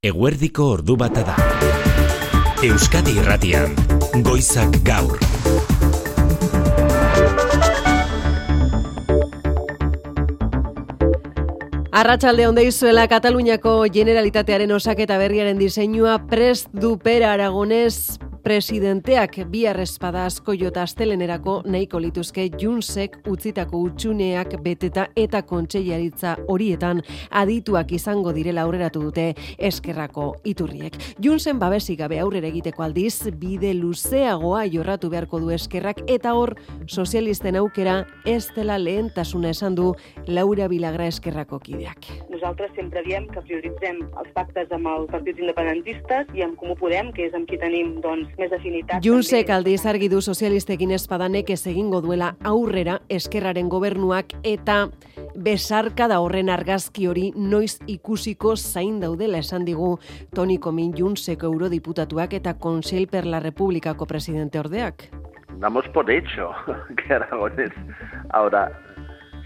Eguerdiko ordu bata da. Euskadi Irratian, Goizak Gaur. Arratsalde on deizuela. Kataluniako Generalitatearen osaketa berriaren diseinua prest du Pere Aragonés presidenteak bihar espada asko jota astelenerako nahiko lituzke Juntsek utzitako hutsuneak beteta eta kontseilaritza horietan adituak izango direla aurreratu dute Eskerrako iturriek. Juntsen babesik gabe aurrera egiteko aldiz, bide luzeagoa jorratu beharko du Eskerrak eta hor sozialisten aukera ez dela lehentasuna esan du Laura Vilagra Eskerrako kideak. Nosaltres sempre diem que prioritzem els pactes amb els partits independentistes i amb Comú Podem, que és amb qui tenim, més afinitat. Juntsek aldiz argi du sozialistekin espadanek ez egingo duela aurrera Eskerraren gobernuak eta besarkada horren argazki hori noiz ikusiko zain daudela esan digu Toni Comín Juntseko eurodiputatuak eta Consell per la Repúblicako presidente ordeak. Damos por hecho que Aragonés ahora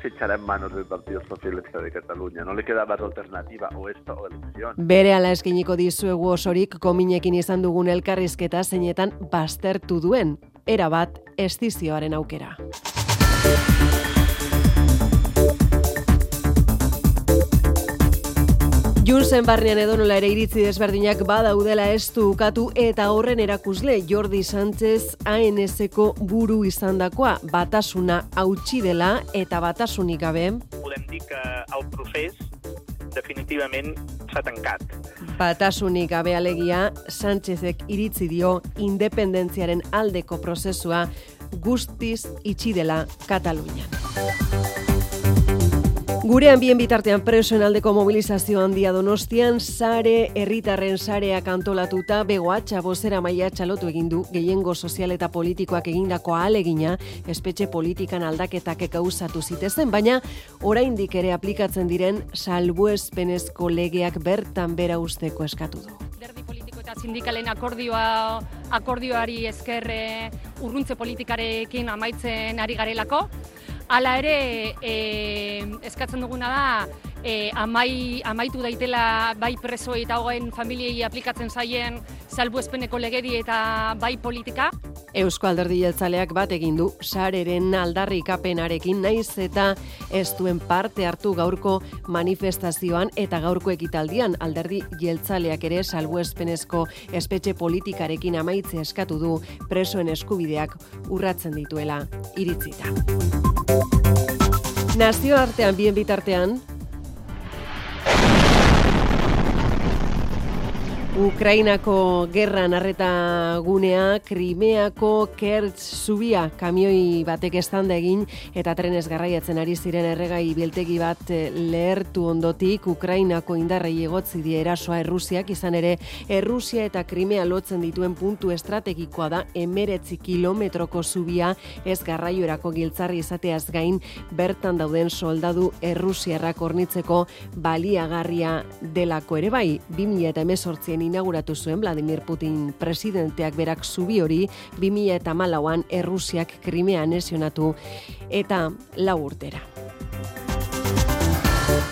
se echará en manos del Partido Socialista de Cataluña. No le queda más alternativa o esto o elección. Berehala eskainiko dizuegu osorik Cominekin izan dugun elkarrizketa zeinetan baztertu duen erabat estizioaren aukera. Juntsen barnean edonola ere iritzi desberdinak badaudela ez du ukatu eta horren erakusle Jordi Sánchez ANSko buru izandakoa batasuna hautsi dela eta batasunik gabe. Podem dir que el procés definitivament s'ha tancat. Batasunik gabe alegia, Sánchezek iritzi dio independentziaren aldeko prozesua guztiz itxi dela Katalunian. Gurean bien bitartean presoen aldeko mobilizazio handia Donostian, sare herritarren sareak antolatuta begoatxa bozera maila txalotu egin du gehiengo sozial eta politikoak egindako ahalegina espetxe politikan aldaketak gauzatu zitezen, baina oraindik ere aplikatzen diren salbuespenezko legeak bertan bera usteko eskatu du. Alderdi politiko eta sindikalen akordioari esker urruntze politikarekin amaitzen ari garelako. Hala ere, eskatzen duguna da, amaitu daitela bai presoei eta hogein familiei aplikatzen zaien salbuespeneko legedi eta bai politika. Eusko Alderdi Jeltzaleak bat egin du sareren aldarrikapenarekin naiz eta ez duen parte hartu gaurko manifestazioan eta gaurko ekitaldian. Alderdi Jeltzaleak ere salbuespenezko espetxe politikarekin amaitzea eskatu du presoen eskubideak urratzen dituela iritzita. Nazioartean bien bitartean, Ukrainako gerran arreta gunea, Krimeako Kertx zubia kamioi batek eztanda egin eta trenez garraiatzen ari ziren erregai biltegi bat lehertu ondotik Ukrainako indarrei egotzi die erasoa Errusiak, izan ere Errusia eta Krimea lotzen dituen puntu estrategikoa da 19 kilometroko zubia ez garraiorako giltzarri izateaz gain bertan dauden soldadu errusiarrak hornitzeko baliagarria delako ere bai. 2018 inauguratu zuen Vladimir Putin presidenteak berak zubi hori 2014an Errusiak Krimea anexionatu eta 4 urtera.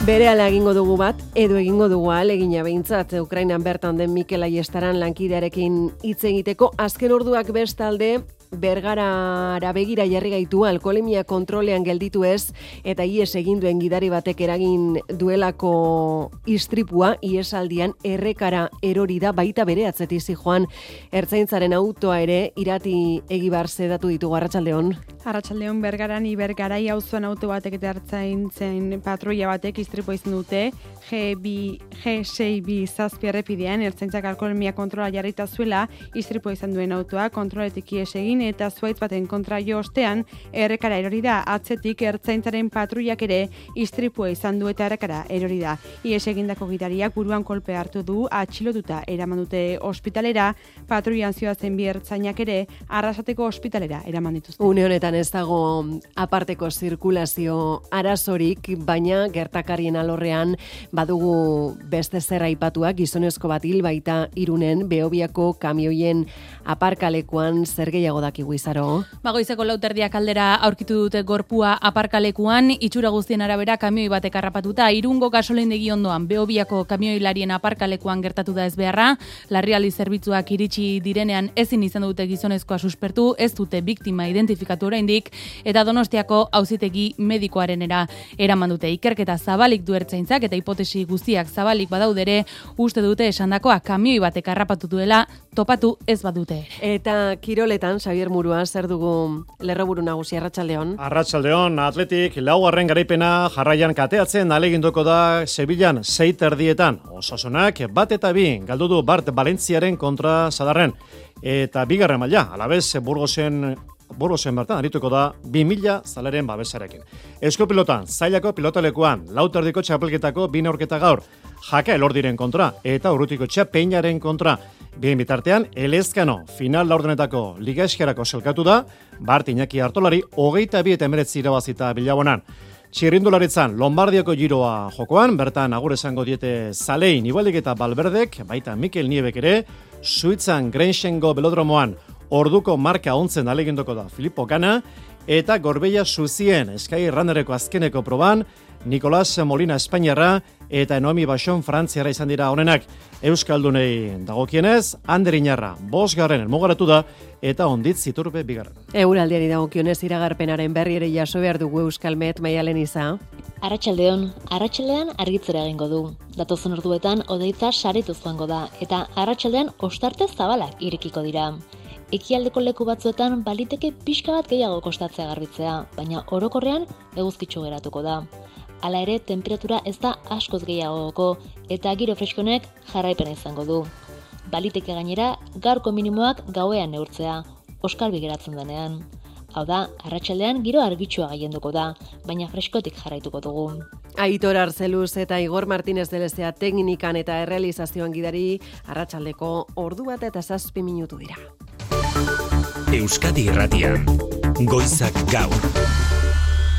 Berehala egingo dugu bat, edo egingo dugu ahalegina behintzat, Ukrainan bertan den Mikel Aiestaran lankidearekin hitz egiteko, azken orduak bestalde Bergarara begira jarri gaitu alkoholemia kontrolean gelditu ez eta ies egin duen gidari batek eragin duelako istripua iesaldian errekara erori da baita bere atzetik zijoan ertzaintzaren autoa ere Irati Egibar zedatu ditugu. Arratsaldeon. Arratsaldeon. Bergaran Ibergarai auzoan auto batek eta ertzaintzen patruila batek istripua izan dute G6B zazpi errepidean ertzaintzak alkoholemia kontrola jarrita zuela istripua izan duen autoa kontroletik ies egin eta zuaitz baten kontra jo ostean errekara erori da. Atzetik ertzaintzaren patruiak ere istripua izan du eta errekara erori da. Ies egindako gidariak buruan kolpe hartu du, atxilotuta eraman dute ospitalera, patruian zioazen bi ertzainak ere Arrasateko ospitalera eraman dituzte. Une honetan ez dago aparteko zirkulazio arazorik, baina gertakarien alorrean badugu beste zer aipatuak, gizonezko bat hil baita Irunen Behobiako kamioien aparkalekuan zer gehiago da badakigu Izaro. Goizeko 4:00 aldera aurkitu dute gorpua aparkalekuan, itxura guztien arabera kamioi batek harrapatuta, Irungo gasolindegi ondoan Beobiako kamioilarien aparkalekuan gertatu da ezbeharra, larrialdi zerbitzuak iritsi direnean ezin izan dute gizonezkoa suspertu, ez dute biktima identifikatu oraindik, eta Donostiako auzitegi medikoarenera eraman dute. Ikerketa zabalik du ertzaintzak eta hipotesi guztiak zabalik badaudere, uste dute esandakoa kamioi batek harrapatu duela, topatu ez badute. Eta kiroletan, Xavier Murua, zer dugu lerroburu nagusi Arratsaldeon? Arratsaldeon, Atletik 4. garaipena jarraian kateatzen aleginduko da Sevillan 6:30. Osasunak 1-2 galdu du Bart Valentziaren kontra Sadarren. Eta bigarren maila, Alabez Burgosen bertan arituko da 2000 zaleren babesarekin. Euskopilotan, zailako pilotalekuan, 4:00 txapelketako 2 neurketa gaur, Jaka Elordiren kontra eta Urrutikotxea Peinaren kontra. Bien bitartean, Elezkano final laurdenetako Liga Eskerako selkatu da, Bart Iñaki Artolari 22 irabazita Bilabonan. Txirrindularitzan, Lombardiako giroa jokoan, bertan agur esango diete Zalein, Ibaldik eta Balberdek, baita Mikel Niebek ere, Suitzan Grenxengo belodromoan, orduko marka ontzen aleginduko da Filippo Gana, eta Gorbeia Suzien Sky Runnereko azkeneko proban, Nicolas Molina Espainiarra eta Noemi Baixon Frantziara izan dira honenak. Euskaldunei dagokienez, Ander Iñarra 5. helmugaratu da eta Onditz Iturbe 2. Euraldiari dagokionez iragarpenaren berri ere jaso behar dugu Euskalmet, Maialen Iza. Arratsaldean argitzera egingo du. Datozen orduetan hodeitza saretuz joango da eta arratsaldean ostarte zabalak irekiko dira. Ekialdeko leku batzuetan baliteke pixka bat gehiago kostatzea garbitzea, baina orokorrean eguzkitsu geratuko da. Hala ere, temperatura ez da askoz gehiagoko eta giro freskonek jarraipena izango du. Baliteke gainera, gaurko minimoak gauean neurtzea, oskarbi geratzen denean. Hau da, arratsaldean giro argitsua gailenduko da, baina freskotik jarraituko dugu. Aitor Arzeluz eta Igor Martínez de Lezea teknikan eta errealizazioan gidari, arratsaldeko 1:07 dira. Euskadi Irratian, Goizak Gaur,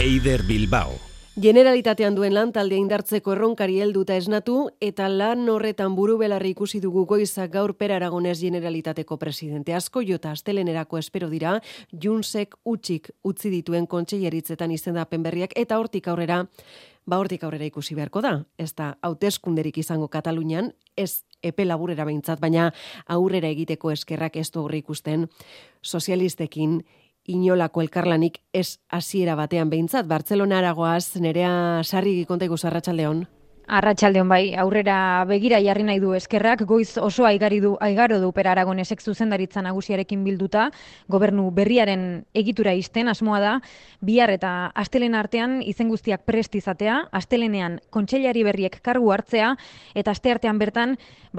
Eider Bilbao. Generalitatean duen lan taldea indartzeko erronkari helduta esnatu eta lan horretan burubelarri ikusi dugu Goizak Gaur Per Aragones Generalitateko presidente asko jota astelenerako espero dira Junsek utzik utzi dituen kontseileritzetan izendapen berriak eta hortik aurrera ikusi beharko da. Ez da hauteskunderik izango Katalunian, ez epe laburera behintzat, baina aurrera egiteko eskerrak ez du aurre ikusten sozialistekin inolako elkarlanik ez hasiera batean behintzat. Bartzelona aragoaz, Nerea Sarrigi konta iguzu Arratsaldeon. Arratsaldeon bai, aurrera begira jarri nahi du eskerrak, goiz oso aigaro du Per Aragonesek zuzendaritza nagusiarekin bilduta, gobernu berriaren egitura isten asmoa da, bihar eta astelehen artean izen guztiak prest izatea, astelenean kontseilari berriek kargu hartzea, eta asteartean bertan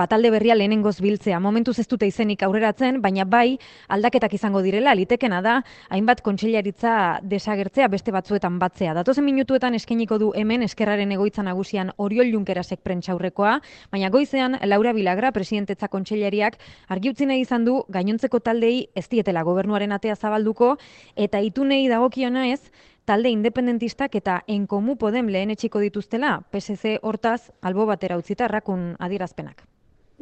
talde berria lehenengoz biltzea. Momentuz ez dute izenik aurreratzen, baina bai aldaketak izango direla, litekena da, hainbat kontseilaritza desagertzea beste batzuetan batzea. Datozen minutuetan eskainiko du hemen eskerraren egoitza nagusian Oriol Junkerasek prentsaurrekoa, baina goizean Laura Vilagra presidentetza kontseilariak argi utzi nahi izan du gainontzeko taldei ez dietela gobernuaren atea zabalduko eta itunei dagokiona ez talde independentistak eta En Comú Podem lehenetsiko dituztela, PSC hortaz albo batera utzita errakun adierazpenak.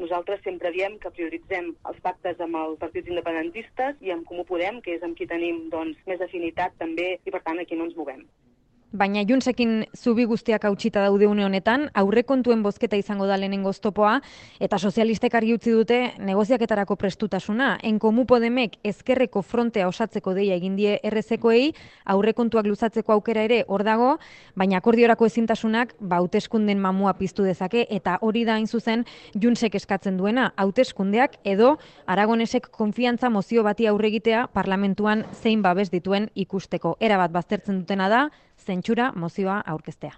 Nosaltres sempre diem que prioritzem els pactes amb els partits independentistes i amb Comú Podem, que és amb qui tenim més afinitat també i per tant aquí no ens movem. Baina Junsekin zubi guztiak hautsita daude une honetan, aurrekontuen bozketa izango da lehenengo oztopoa, eta sozialistek argi utzi dute negoziaketarako prestutasuna. En Comú Podemek ezkerreko frontea osatzeko deia egin die errezekoei, aurrekontuak luzatzeko aukera ere hor dago, baina akordiorako ezintasunak hauteskunden mamua piztu dezake, eta hori da hain zuzen Junsek eskatzen duena, hauteskundeak edo Aragonesek konfiantza mozio bati aurregitea parlamentuan zein babes dituen ikusteko. Erabat baztertzen dutena da, zentsura mozioa aurkeztea.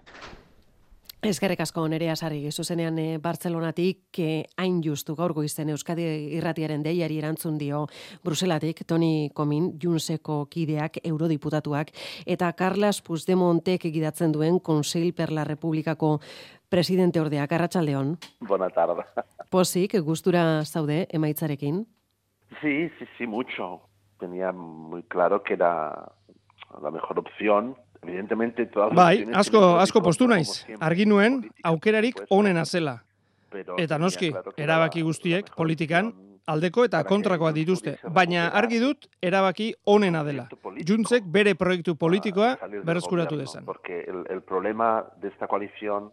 Eskerrik asko Nerea Sarrigi, zuzenean Bartzelonatik hain justu gaur goizen Euskadi Irratiaren deiari erantzun dio Bruselatik Toni Comín, Junseko kideak, eurodiputatuak, eta Carles Puigdemontek egidatzen duen Consell per la Republikako presidente ordeak. Arratsaldeon. Bona tarda. Pozik, gustura zaude emaitzarekin? Sí, mucho. Tenía muy claro que era la mejor opción. Evidentemente todas las bai, asko postu naiz. Argi nuen aukerarik onena zela. Eta noski, erabaki guztiek politikan aldeko eta kontrakoak dituzte, baina argi dut erabaki onena dela. Juntzek bere proiektu politikoa berreskuratu dezan. Porque el problema de esta coalición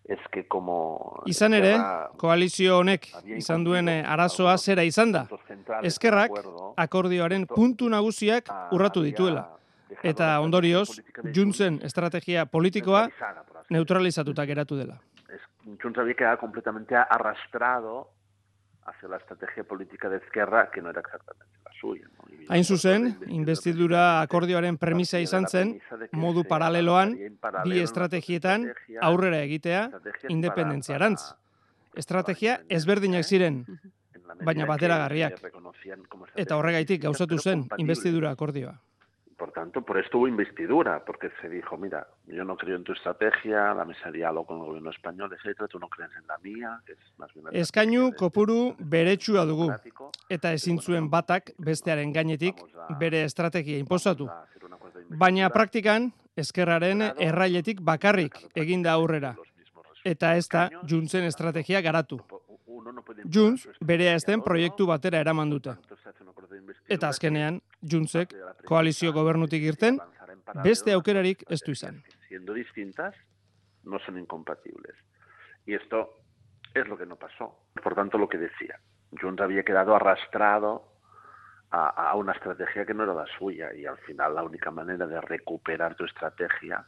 es que como... Izan ere, koalizio honek izan duen arazoa zera izan da. Ezkerrak akordioaren puntu nagusiak urratu dituela. Eta ondorioz, Juntzen estrategia politikoa neutralizatuta geratu dela. Junts había quedado completamente arrastrado hacia la estrategia política de Ezkerra, que no era exactamente la suya. Hain zuzen, investidura akordioaren premisa izan zen, modu paraleloan, bi estrategietan aurrera egitea independentziarantz. Estrategia ezberdinak ziren, baina bateragarriak. Eta horregaitik gauzatu zen investidura akordioa. Por tanto, por esto hubo investidura, porque se dijo, mira, yo no creo en tu estrategia, la mesa de diálogo con el gobierno español, etcétera, tú no crees en la mía, que es más bien... Eskainu kopuru beretsua dugu, eta ezin zuen batak bestearen gainetik bere estrategia inposatu. Baina praktikan, ezkerraren errailetik bakarrik eginda aurrera. Eta ez da Juntzen estrategia garatu. Junts bere ezten proiektu batera eraman dute. Eta azkenean, Juntzek koalizio gobernutik irten, beste aukerarik ez du izan. Siendo distintas, no son incompatibles. Y esto es lo que no pasó. Por tanto, lo que decía, Junts había quedado arrastrado a una estrategia que no era la suya, y al final la única manera de recuperar tu estrategia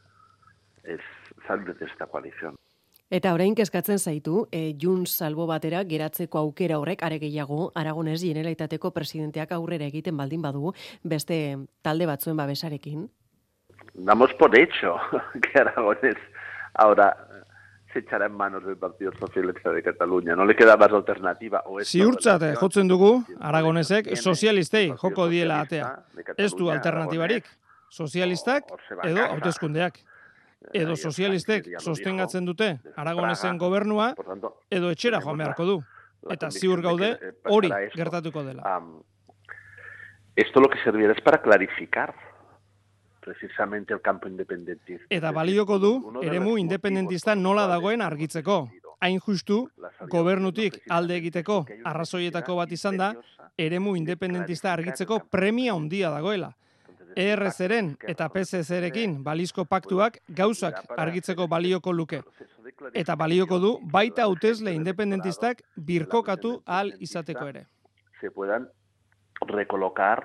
es salir de esta coalición. Eta orain kezkatzen zaitu, Junts salbo batera geratzeko aukera horrek are gehiago Aragones Generalitateko presidenteak aurrera egiten baldin badu beste talde batzuen babesarekin. Damos por hecho que Aragones ahora se echará en manos del Partido Socialista de Cataluña. No le queda más alternativa. Ziurtzat jotzen dugu, Aragonesek sozialistei joko diela atea. Ez du alternatibarik. Sozialistak edo hauteskundeak. Edo sozialistek sostengatzen dute Aragonesen gobernua, edo etxera joan beharko du. Eta ziur gaude hori gertatuko dela. Esto lo que servirá es para clarificar precisamente el campo independentista. Eta balioko du eremu independentista nola dagoen argitzeko. Hain justu, gobernutik alde egiteko arrazoietako bat izan da, eremu independentista argitzeko premia handia dagoela. ERZ-ren eta PSZ-rekin balizko paktuak gauzak argitzeko balioko luke. Eta balioko du baita hautesle independentistak birkokatu ahal izateko ere. Se puedan recolocar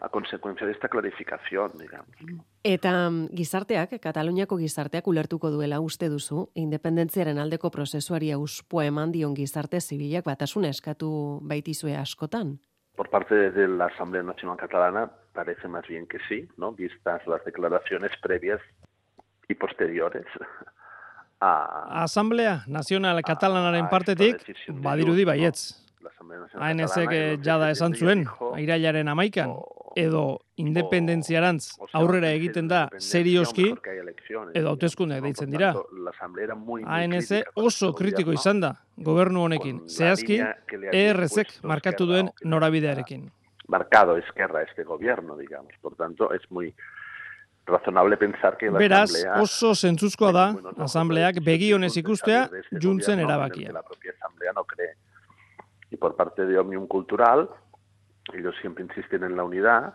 a consecuencia de esta clarificación, digamos. Eta gizarteak, Kataluniako gizarteak ulertuko duela uste duzu, independentziaren aldeko prozesuari auspoa eman dion gizarte zibilak batasuna eskatu baitizue askotan? Por parte de la Asamblea Nacional Catalana parece más bien que sí, ¿no? Vistas las declaraciones previas y posteriores a... Asamblea Nazional Katalanaren partetik badirudi baietz. ANSek jada esan zuen, irailaren 11an, edo independentziarantz aurrera egiten da serioski, edo hauteskundeak deitzen dira. ANS oso kritiko izan da gobernu honekin, zehazki ERZ-ek markatu duen norabidearekin. Marcado Ezkerra este gobierno, digamos. Por tanto, es muy razonable pensar que la Beraz, Asamblea... oso zentzuzkoa da, Asambleak begionez ikustea Juntzen erabakia. La propia Asamblea no cree. Y por parte de Òmnium Cultural, ellos siempre insisten en la unidad.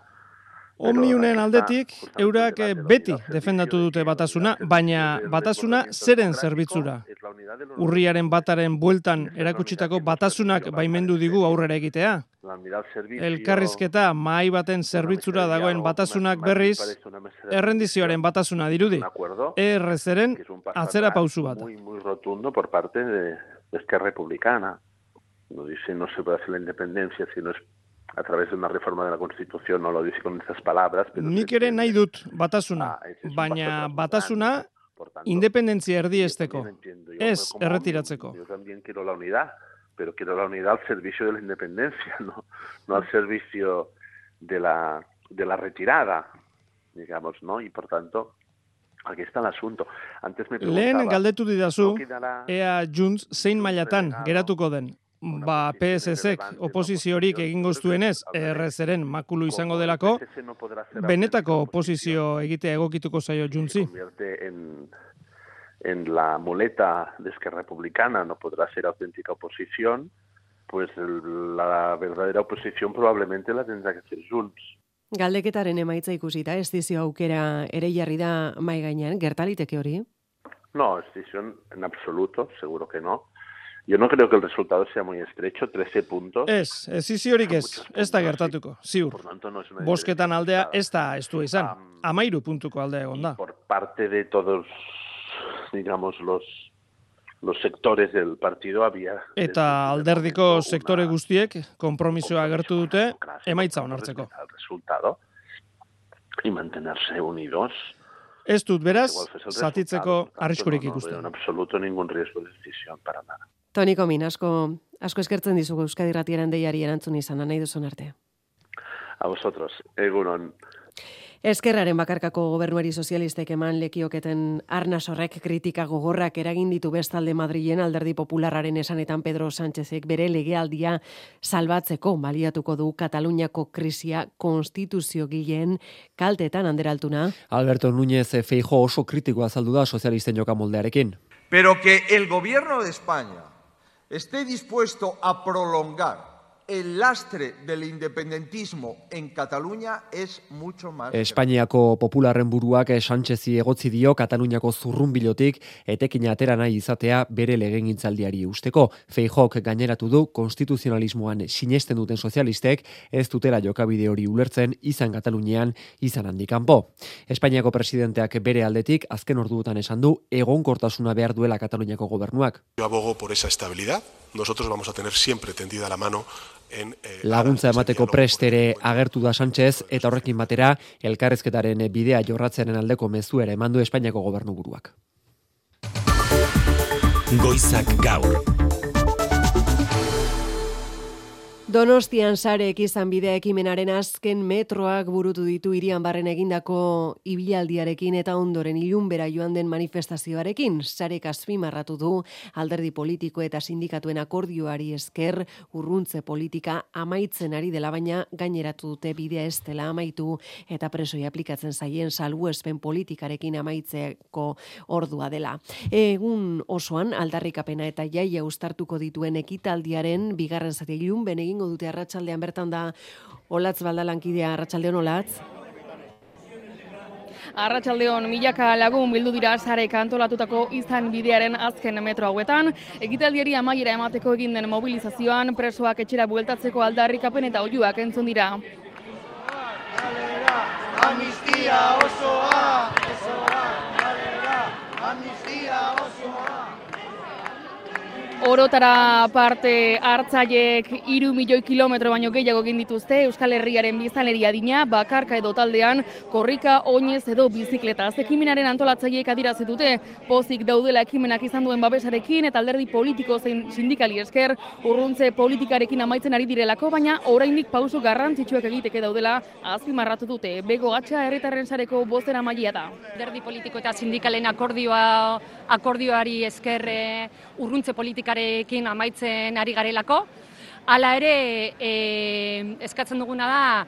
Omniunen aldetik, eurak beti defendatu dute batasuna, baina batasuna zeren zerbitzura. Urriaren bataren bueltan erakutsitako batasunak baimendu digu aurrera egitea. Elkarrizketa mahai baten zerbitzura dagoen batasunak berriz, errendizioaren batasuna dirudi. ERZ-ren atzera pausu bat. Muy rotundo por parte de Esquerra Republicana. No dice no se puede hacer la independencia si no es a través de una reforma de la Constitución, no lo dice con estas palabras. Pero nik ere nahi dut batasuna, baina batasuna independentzia erdiesteko, ez erretiratzeko. Yo también quiero la unidad, pero quiero la unidad al servicio de la independencia, no al servicio de la retirada, digamos, ¿no? Y por tanto, aquí está el asunto. Antes me preguntaba... Lehen galdetu didazu, ea Junts zein mailatan geratuko den. Ba, PSZ-ek oposiziorik egingo zuenez, ERZ-ren makulu izango delako, benetako oposizio egitea egokituko zaio Juntzi. En la muleta de Esquerra Republicana no podrá ser auténtica oposición, pues la verdadera oposición probablemente la tendrá que hacer Junts. Galdeketaren emaitza ikusita, ez dizio aukera ere jarri da mai gainean, gertaliteke hori? No, decisión en absoluto, seguro que no. Yo no creo que el resultado sea muy estrecho, 13 puntos. Ez iziorik ez da gertatuko, ziur. Bosketan aldea ez da estua izan, 13 puntuko aldea egon da. Por parte de todos, digamos, los sectores del partido había... Eta alderdiko sektore guztiek konpromisoa agertu dute emaitza onartzeko. El resultado y mantenerse unidos. Ez dut beraz, zatitzeko arriskurik ikusten. No, en absoluto ningún riesgo de decisión para nada. Toni Komin, asko eskertzen dizugu Euskadi Irratiaren deiari erantzun izan, nahi duzun arte. A vosotros, egunon. Eskerraren bakarkako gobernuari sozialistek eman lekioketen arnas horrek kritika gogorrak eragin ditu bestalde Madrilen Alderdi Popularraren esanetan Pedro Sánchezek bere legealdia salbatzeko baliatuko du Kataluniako krisia konstituziogileen kaltetan Anderaltuna. Alberto Núñez Feijóo oso kritikoa azaldu da sozialisten jokamoldearekin. Pero que el gobierno de España esté dispuesto a prolongar el lastre del independentismo en Cataluña es mucho más. Espainiako popularren buruak Sánchezi egotzi dio Kataluniako zurrunbilotik etekina atera nahi izatea bere legegintzaldiari usteko. Feijóok gaineratu du konstituzionalismoan sinesten duten sozialistek ez dutela jokabide hori ulertzen izan Katalunian izan handikanpo. Espainiako presidenteak bere aldetik azken orduotan esan du egonkortasuna behar duela Kataluniako gobernuak. Yo abogo por esa estabilidad. Nosotros vamos a tener siempre tendida la mano laguntza emateko prest ere agertu da Sánchez eta horrekin batera elkarrizketaren bidea jorratzearen aldeko mezuera eman du Espainiako gobernuburuak. Goizak gaur. Donostian sarek izan bidea ekimenaren azken metroak burutu ditu hirian barren egindako ibilaldiarekin eta ondoren ilunbera joan den manifestazioarekin. Sarek azpimarratu du alderdi politiko eta sindikatuen akordioari esker urruntze politika amaitzen ari dela, baina gaineratu dute bidea ez dela amaitu eta presoi aplikatzen zaien salbuespen politikarekin amaitzeko ordua dela. Egun osoan aldarrikapena eta jaia uztartuko dituen ekitaldiaren bigarren zati ilunben egin dute arratsaldean bertan da Olatz Baldalankidea. Arratsaldeon Olatz. Arratsaldeon, milaka lagun bildu dira sarek antolatutako izan bidearen azken metro hauetan. Ekitaldiari amaiera emateko egin den mobilizazioan presoak etxera bueltatzeko aldarrikapen eta oihuak entzun dira. Amnistia osoa, amnistia osoa. Orotara parte hartzaileek 3 milioi kilometro baino gehiago egin dituzte Euskal Herriaren biztanleria adina, bakarka edo taldean, korrika, oinez edo bizikletaz. Ekimenaren antolatzaileek adierazi dute pozik daudela ekimenak izan duen babesarekin eta alderdi politiko zein sindikali esker urruntze politikarekin amaitzen ari direlako, baina oraindik pauso garrantzitsuak egiteke daudela azpimarratu dute. Bego Atxa herritarren sareko bozeramailea da. Alderdi politiko eta sindikalen akordioari esker urruntze politikarekin amaitzen ari garelako. Hala ere, eskatzen duguna da,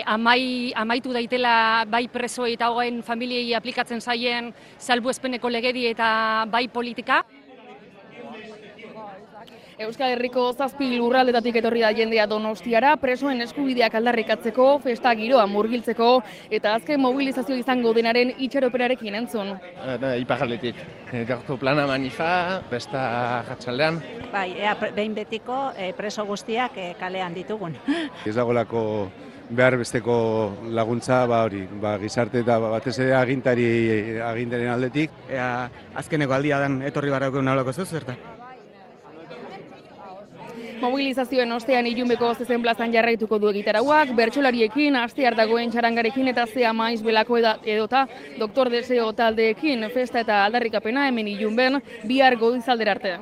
amaitu daitela bai presoei eta hogein familiei aplikatzen zaien salbuespeneko legedi eta bai politika. Euskal Herriko 7 lurraldetatik etorri da jendea Donostiara, presoen eskubideak aldarrikatzeko, festa giroa murgiltzeko eta azken mobilizazio izango denaren itxaroperarekin entzun. Iparraldetik, gaurko plana manifa, festa jatsaldean. Bai, behin betiko preso guztiak kalean ditugun. Ez dagolako behar besteko laguntza gizarte eta batez ere agintaren aldetik. Azkeneko aldia dan etorri barrako nolako zuz, zerta? Mobilizazioen ostean ilunbeko zezen plazan jarraituko du egitarauak, bertsolariekin, astear dagoen txarangarekin eta zea maiz belako edota Doktor Deseo taldeekin festa eta aldarrikapena hemen ilunben bihar goizaldera arte.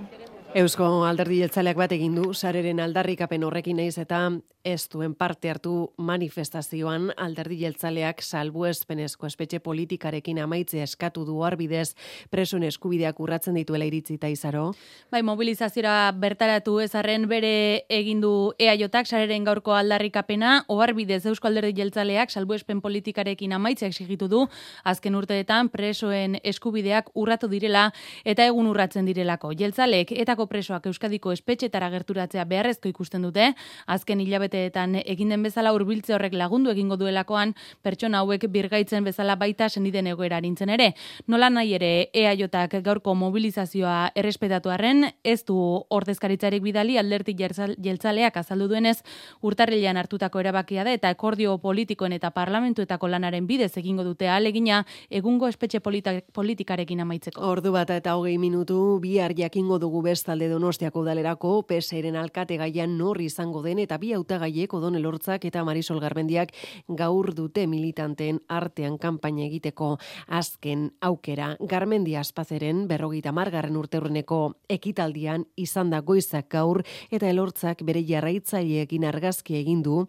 Eusko Alderdi Jeltzaleak bat egin du sareren aldarrikapen horrekin naiz eta ez duen parte hartu manifestazioan alderdi jeltzaleak salbuespenezko espetxe politikarekin amaitzea eskatu du arbidez presoen eskubideak urratzen dituela iritzita Izaro. Bai, mobilizaziora bertaratu ezarren bere egindu EAJak sareren gaurko aldarrikapena, oharbidez Eusko Alderdi Jeltzaleak salbuespen politikarekin amaitzea exigitu du, azken urteetan presoen eskubideak urratu direla eta egun urratzen direlako. Jeltzaleek etako presoak Euskadiko espetxetara gerturatzea beharrezko ikusten dute, azken hilabeteetan egin den bezala hurbiltze horrek lagundu egingo duelakoan, pertsona hauek birgaitzen bezala baita seniden egoera arintzen ere. Nola nahi ere EAJak gaurko mobilizazioa errespetatu arren, ez du ordezkaritzarik bidali alderdi jeltzaleak azaldu duenez, urtarrilean hartutako erabakia da eta akordio politikoen eta parlamentuetako lanaren bidez egingo dute ahalegina egungo espetxe politikarekin amaitzeko. Ordu bat eta 20 minutu bihar jakingo dugu bestalde Donostiako udalerako PSeren alkate gaian nor izango den eta bi hautagaiek Odon Elortzak eta Marisol Garmendiak gaur dute militanteen artean kanpaina egiteko azken aukera. Garmendia Aspazeren 50. urteurreneko ekitaldian izan da goizak gaur eta Elortzak bere jarraitzaileekin argazki egin du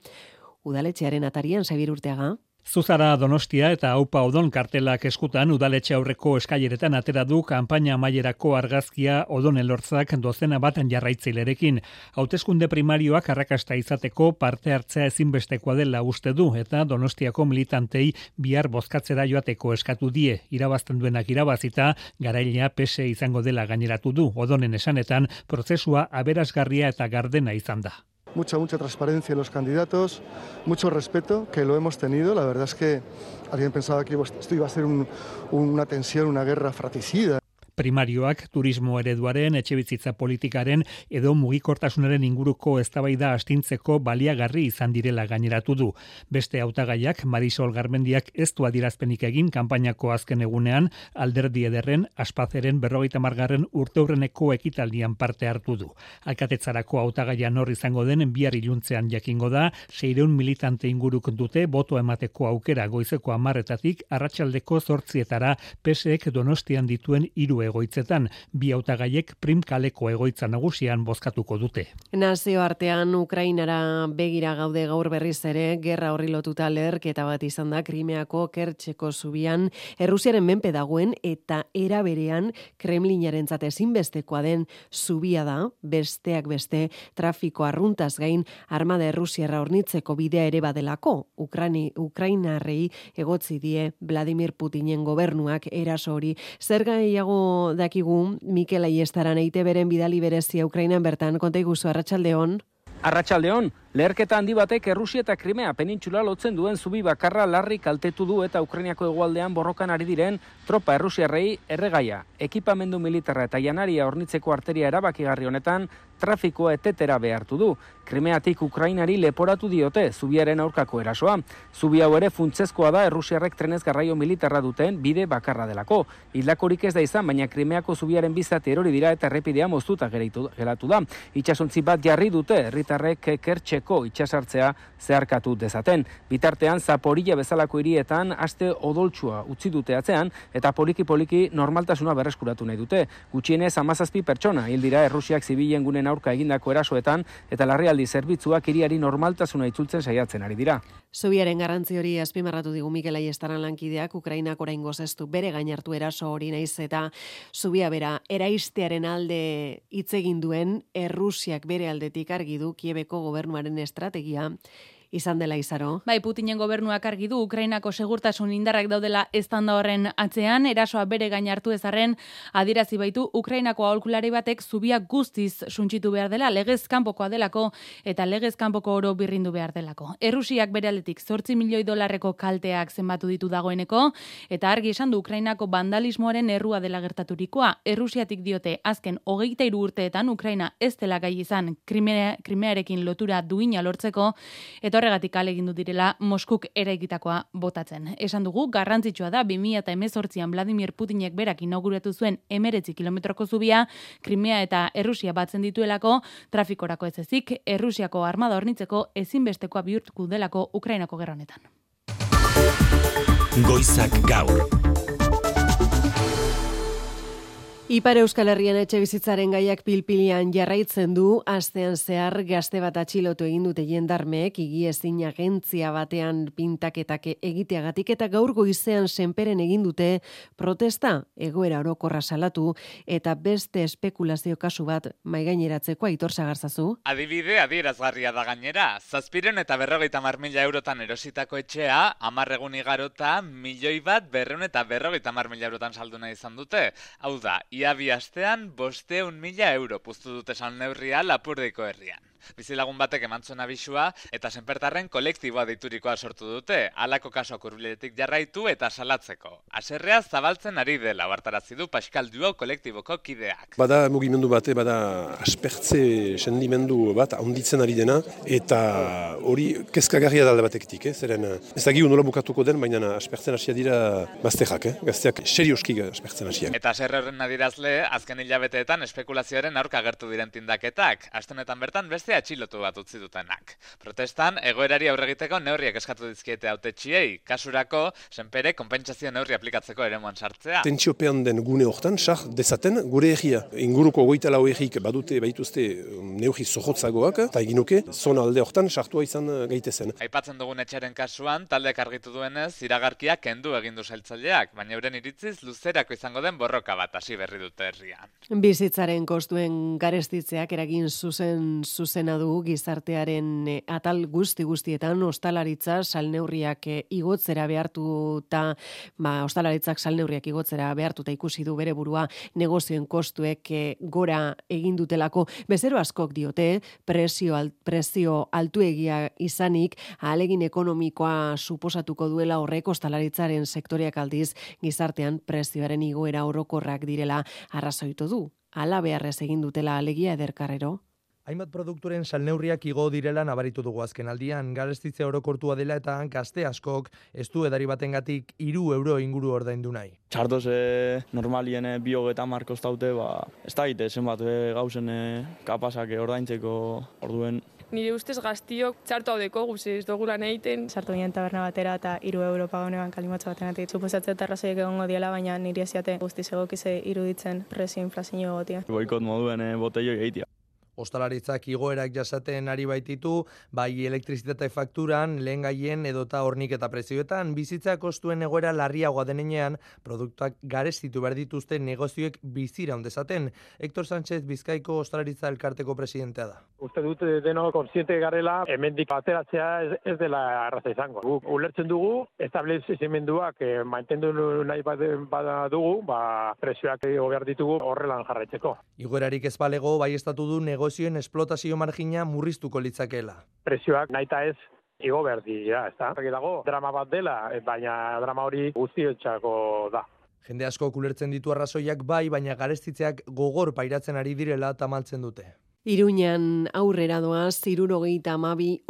udaletxearen atarian. Xabier Urteaga. Zuzara Donostia eta Aupa Odon kartelak eskutan udaletxe aurreko eskaileretan atera du kanpaina amaierako argazkia Odon Elortzak dozena bat jarraitzailerekin. Hauteskunde primarioak arrakasta izateko parte hartzea ezinbestekoa dela uste du eta Donostiako militantei bihar bozkatzera joateko eskatu die. Irabazten duenak irabazita, garailea PSE izango dela gaineratu du. Odonen esanetan prozesua aberasgarria eta gardena izan da. Mucha transparencia en los candidatos, mucho respeto, que lo hemos tenido. La verdad es que alguien pensaba que esto iba a ser una tensión, una guerra fratricida. Primarioak turismo ereduaren, etxebizitza politikaren edo mugikortasunaren inguruko eztabaida astintzeko baliagarri izan direla gaineratu du. Beste hautagaiak Marisol Garmendiak ez du adierazpenik egin kanpainako azken egunean alderdi ederren Aspazeren 50. urteurreneko ekitaldian parte hartu du. Alkatetzarako hautagaia nor izango den bihar iluntzean jakingo da, 600 militante inguruk dute boto emateko aukera goizeko 10:00 arratsaldeko 8:00 PSek Donostian dituen 3 egoitzetan, bi hautagaiek Prim kaleko egoitza nagusian bozkatuko dute. Nazioartean Ukrainara begira gaude gaur berriz ere, gerra horri lotuta leherketa bat izan da Krimeako Kertxeko zubian, Errusiaren menpe dagoen eta era berean Kremlinarentzat ezinbestekoa den zubia da, besteak beste trafiko arruntaz gain armada errusiarra hornitzeko bidea ere badelako. Ukrainarrei egotzi die Vladimir Putinen gobernuak eraso hori. Zer gehiago dakigu Mikel Aiestaran EITBren bidali berezia Ukrainan bertan, konta iguzu, arratsaldeon. Arratsaldeon, leherketa handi batek Errusia eta Krimea penintxula lotzen duen zubi bakarra larri kaltetu du eta Ukrainiako hegoaldean borrokan ari diren tropa errusiarrei erregaia. Ekipamendu militarra eta janaria hornitzeko arteria erabakigarri honetan trafikoa etetera behartu du. Krimeatik Ukrainari leporatu diote zubiaren aurkako erasoa. Zubi hau ere funtsezkoa da Errusiarrek trenez garraio militarra duten bide bakarra delako. Hildakorik ez da izan, baina Krimeako zubiaren bizati erori dira eta errepidea moztuta geratu da. Itsasontzi bat jarri dute herritarrek Kertxeko itsasartzea zeharkatu dezaten. Bitartean Zaporilla bezalako hirietan aste odoltsua utzi dute atzean eta poliki-poliki normaltasuna berreskuratu nahi dute. Gutxienez 17 pertsona hil dira Errusiak zibilen gunen aurka egindako erasoetan eta larrialdi zerbitzuak hiriari normaltasuna itzultzen saiatzen ari dira. Zubiaren garrantzi hori azpimarratu digu Mikel Aiestaran lankideak, Ukrainak oraingoz ez du bere gain hartu eraso hori, naiz eta zubia bera eraistearen alde hitz egin duen Errusiak bere aldetik argi du Kiebeko gobernuaren estrategia izan dela Izaro. Bai, Putinen gobernuak argi du Ukrainako segurtasun indarrak daudela eztanda horren atzean, erasoa bere gain hartu ezarren adierazi baitu Ukrainako aholkulari batek zubia guztiz suntsitu behar dela, legez kanpokoa delako eta legez kanpoko oro birrindu behar delako. Errusiak bere aldetik $8 milioi kalteak zenbatu ditu dagoeneko eta argi esan du Ukrainako vandalismoaren errua dela gertaturikoa. Errusiatik diote azken 23 urteetan Ukraina ez dela gai izan Krimearekin lotura duina lortzeko eta horregatik alegindu direla Moskuk eraikitakoa botatzen. Esan dugu, garrantzitsua da 2018an Vladimir Putinek berak inauguratu zuen 19 kilometroko zubia, Krimea eta Errusia batzen dituelako, trafikorako ez ezik, Errusiako armada hornitzeko ezinbestekoa bihurtuko delako Ukrainako gerra honetan. Goizak gaur. Ipar Euskal Herrian etxebizitzaren gaiak pilpilian jarraitzen du, astean zehar gazte bat atxilotu egin dute jendarmeek higiezin agentzia batean pintaketak egiteagatik eta gaur goizean senperen egin dute protesta, egoera orokorra salatu eta beste espekulazio kasu bat maigaineratzeko. Aitor Sagarzazu. Adibide adierazgarria da gainera, 750.000 eurotan erositako etxea 10 egun igarota 1.250.000 eurotan saldu nahi izan dute. Hau da, ia bi astean 500.000 euro puztu dute salneurria Lapurdiko herrian. Bizilagun batek eman zuen abisua eta senpertarren kolektiboa deiturikoa sortu dute, halako kasuak hurbiletik jarraitu eta salatzeko. Haserrea zabaltzen ari dela ohartarazi du Pascal Duo kolektiboko kideak. Bada mugimendu bate, bada aspertze sendimendu bat handitzen ari dena eta hori kezkagarria dalde batekitik, zeren ez dakigu nola bukatuko den, baina aspertzen hasia dira gazteak, gazteak serioski aspertzen hasiak. Eta haserre horren adirazle, azken hilabeteetan espekulazioaren aurka agertu diren tindaketak, astenetan bertan beste atxilotu bat utzi dutenak. Protestan, egoerari aurre egiteko neurriak eskatu dizkiete hautetsiei, kasurako, senpere konpentsazio neurri aplikatzeko eremuan sartzea. Tentsiopean den gune hortan, sar dezaten gure herria. Inguruko 24 herrik baituzte neurri zorrotzagoak, eta eginuke, zona alde hortan sartua izan gaitezen. Aipatzen dugun etxaren kasuan, taldeak argitu duenez, iragarkiak kendu egin du sailtzaileak, baina euren iritziz luzerako izango den borroka bat hasi berri dute herrian. Bizitzaren kostuen garestitzeak eragin zuzena du gizartearen atal guztietan ostalaritza salneurriak igotzera behartuta, ostalaritzak salneurriak igotzera behartuta ikusi du bere burua negozioen kostuek gora egin dutelako. Bezero askok diote prezio altuegia izanik ahalegin ekonomikoa suposatuko duela horrek ostalaritzaren sektoreak aldiz gizartean prezioaren igoera orokorrak direla arrazoitu du. Hala beharrez egin dutela alegia Ederkarrero. Hainbat produktoren salneurriak igo direla nabaritu dugu azken aldian, garestitze orokortua dela eta gazte askok ez du edari batengatik 3 euro inguru ordaindu nahi. Txartoz normalien 230 kostaute, ez da egite zenbat gauzen kapasak ordaintzeko orduen. Nire ustez gaztiok txartu haudeko guzi ez dugu lan egiten. Sartu ginen taberna batera eta 3 euro paganean kalimotxo batenatik. Suposatzen terrazoiek egongo diela, baina niri eziate guztiz egokize iruditzen prezio inflazio egotia. Boikot moduen botelloi egitea. Ostalaritzak igoerak jasaten ari baititu, bai elektrizitate fakturan, lehengaien edota horniketa prezioetan, bizitza kostuen egoera larriagoa denean, produktuak garestitu behar dituzte negozioek bizira ondezaten. Hector Sánchez Bizkaiko Ostalaritza elkarteko presidentea da. Uste dut deno konsiente garela, hemendik ateratzea ez dela arraza izango. Guk ulertzen dugu, establezimenduak mantendu nahi badugu, prezioak behar ditugu horrelan jarraitzeko. Igoerarik ez balego, bai estatu du negozioen esplotazio margina murriztuko litzakeela. Prezioak nahita ez igo behar dira, ez da? Dago drama bat dela, baina drama hori guztiotxako da. Jende asko ulertzen ditu arrazoiak bai, baina garestitzeak gogor pairatzen ari direla tamaltzen dute. Iruñan aurrera doaz, 72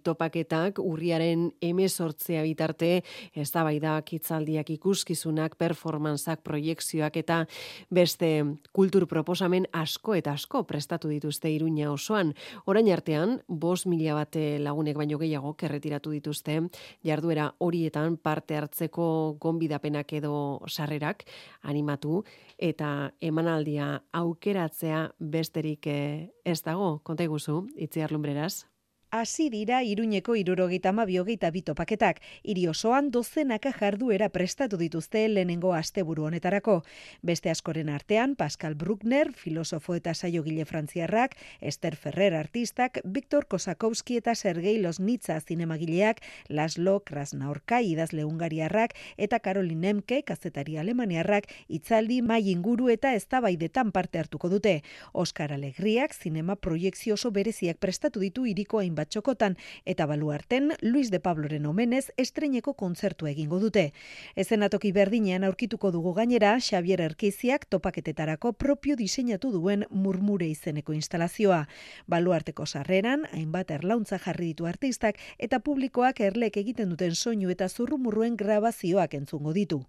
topaketak urriaren 18 bitarte, eztabaidak, hitzaldiak, ikuskizunak, performantzak, proiekzioak eta beste kultur proposamen asko eta asko prestatu dituzte Iruña osoan. Orain artean, 5.000 bat lagunek baino gehiago erretiratu dituzte, jarduera horietan parte hartzeko gonbidapenak edo sarrerak animatu eta emanaldia aukeratzea besterik ez dago, konta iguzu, Itziar Lumbreras. Hasi dira Iruñeko 72 topaketak. Hiri osoan dozenaka jarduera prestatu dituzte lehenengo asteburu honetarako. Beste askoren artean, Pascal Bruckner, filosofo eta saiogile frantziarrak, Esther Ferrer artistak, Viktor Kosakowski eta Sergei Loznitsa zinemagileak, Laszlo Krasnaorka idazle hungariarrak eta Caroline Emke kazetari alemaniarrak hitzaldi mahai inguru eta eztabaidetan parte hartuko dute. Oscar Alegriak zinema proiekzio oso bereziak prestatu ditu hiriko batxokotan eta baluarten Luis de Pabloren omenez estreineko kontzertu egingo dute. Ezenatoki berdinean aurkituko dugu gainera Xavier Erkiziak topaketetarako propio diseinatu duen Murmure izeneko instalazioa. Baluarteko sarreran hainbat erlauntza jarri ditu artistak eta publikoak erlek egiten duten soinu eta zurrumurruen grabazioak entzungo ditu.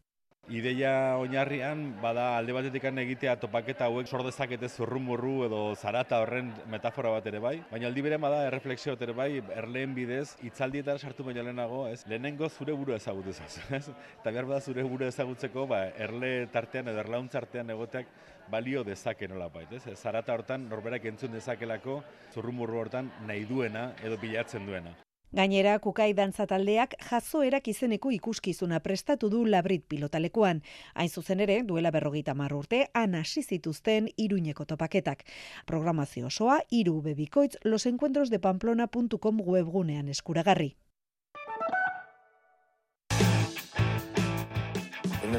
Ideia oinarrian bada alde batetik egitea topaketa hauek sor dezakete zurrumurru edo zarata horren metafora bat ere bai, baina aldi berean bada erreflexio bat ere bai, erleen bidez hitzaldietara sartu baino lehenago, ez? Lehenengo zure burua ezagutuz, ez? Eta behar bada zure burua ezagutzeko, erle tartean edo erlauntz artean egoteak balio dezake nolabait, ez? Zarata hortan norberak entzun dezakelako zurrumurru hortan nahi duena edo bilatzen duena. Gainera, Kukai dantza taldeak jazoerak izeneko ikuskizuna prestatu du Labrit pilotalekuan. Hain zuzen ere, duela 50 urte, han hasi zituzten Iruñeko topaketak. Programazio osoa, 3 bikoitz losencuentrosdepamplona.com webgunean eskuragarri.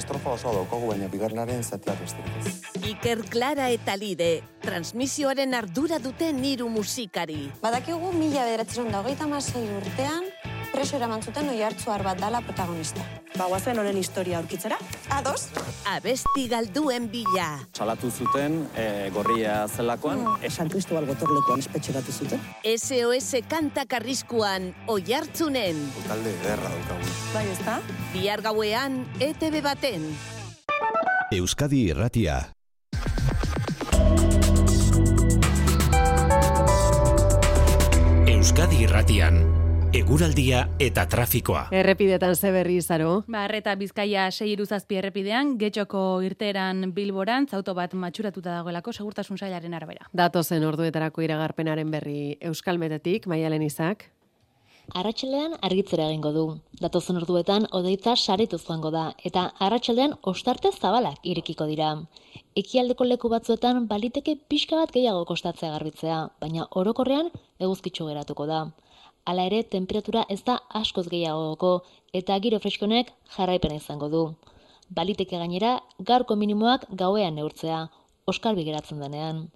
Estrofa osoa daukagu, baina bigarrenaren zatia besterik ez. Iker, Clara eta Lide, transmisioaren ardura duten 3 musikari. Badakigu 1926 urtean preso eraman zuten Oiartzuar bat dala protagonista. Guazen honen historia aurkitzera? Ados? Abesti galduen bila. Salatu zuten gorria zelakoan. San Cristobal gotorlekuan espetxeratu zuten. SOS kantak arriskuan Oiartzunen. Talde ederra daukagu. Bai, ezta? Bihar gauean ETV baten. Euskadi Irratia. Euskadi Irratian. Eguraldia eta trafikoa. Errepidetan ze berri izaro? Arreta Bizkaia 6-7 errepidean, Getxoko irteeran Bilborantz auto bat matxuratuta dagoelako segurtasun sailaren arabera. Datozen orduetarako iragarpenaren berri Euskalmetetik, Maialen Izak. Arratsaldean argitzera egingo du. Datozen orduetan hodeitza saretuz joango da eta arratsaldean ostarte zabalak irekiko dira. Ekialdeko leku batzuetan baliteke pixka bat gehiago kostatzea garbitzea, baina orokorrean eguzkitsu geratuko da. Hala ere, temperatura ez da askoz gehiagoko eta giro freskonek jarraipena izango du. Baliteke gainera, gaurko minimoak gauean neurtzea, oskarbi geratzen denean.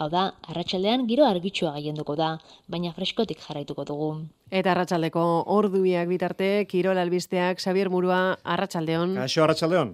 Hau da, arratsaldean giro argitsua gailenduko da, baina freskotik jarraituko dugu. Eta arratsaldeko ordubiak bitarte, Kirol albisteak, Xabier Murua, arratsaldeon. Kaixo, arratsaldeon.